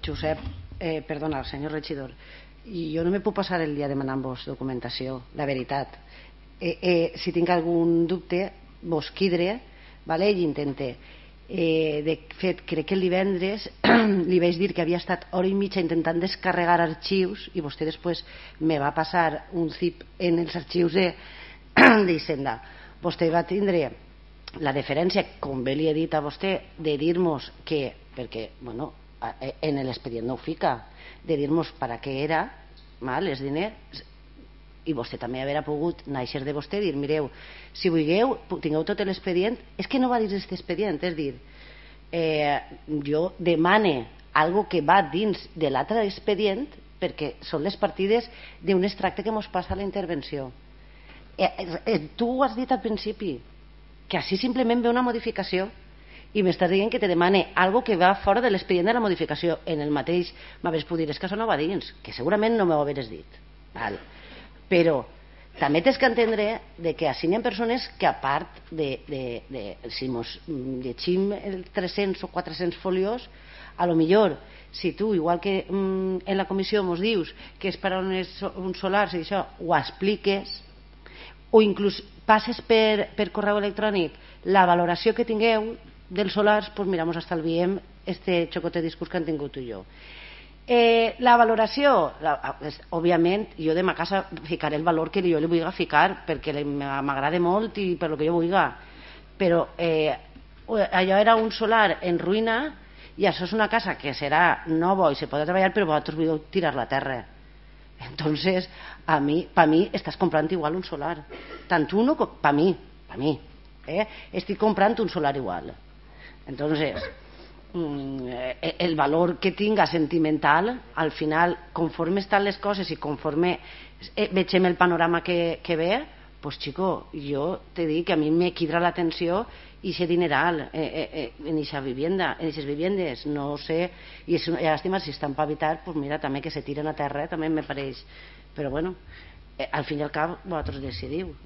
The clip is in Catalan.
Josep, perdona, senyor regidor, jo no me puc passar el dia demanant-vos documentació, la veritat. Si tinc algun dubte, vos quidre, vale? I intente. De fet, crec que el divendres li vaig dir que havia estat hora i mitja intentant descarregar arxius i vostè després me va passar un zip en els arxius d'Hisenda. Vostè va tindre la deferència, com bé li he dit a vostè, de dir-nos que, perquè, bueno, en l'expedient no ho fica, de dir-nos per a què era, els diners, i vostè també haurà pogut néixer de vostè i dir, mireu, si vulgueu tingueu tot l'expedient. És que no va dir aquest expedient, és dir, jo demane algo que va dins de l'altre expedient perquè són les partides d'un extracte que mos passa a la intervenció. Tu ho has dit al principi, que així simplement ve una modificació i m'estàs dient que te demane algo que va fora de l'expedient de la modificació. En el mateix m'hagués pogut dir, és que això no va dins, que segurament no m'ho hagués dit, val? Però també tens que entendre que així hi ha persones que, a part si ens llegim el 300 o 400 folios, a lo millor si tu, igual que en la comissió ens dius que és per a uns solars i això, ho expliques, o inclús passes per correu electrònic la valoració que tingueu dels solars, doncs mira, ens estalviem este xocotet discurs que han tingut tu i jo. La valoració, òbviament jo de ma casa ficaré el valor que jo li vull ficar perquè m'agrada molt i per lo que jo vull, però allò era un solar en ruïna i això és una casa que serà nova i se podrà treballar, però vosaltres voleu tirar-la a terra. Entonces, per mi estàs comprant igual un solar, tant uno com per mi, estic comprant un solar igual. Entonces, el valor que tinga sentimental, al final, conforme estan les coses i conforme vegem el panorama que ve, pues chico, jo te dic que a mi me quidra l'atenció i ese dineral en esa vivienda, en esas viviendes, no sé, i és una llàstima si estan per habitar, pues mira, també que se tiren a terra també me pareix, però bueno, al fin i al cap vosaltres decidiu.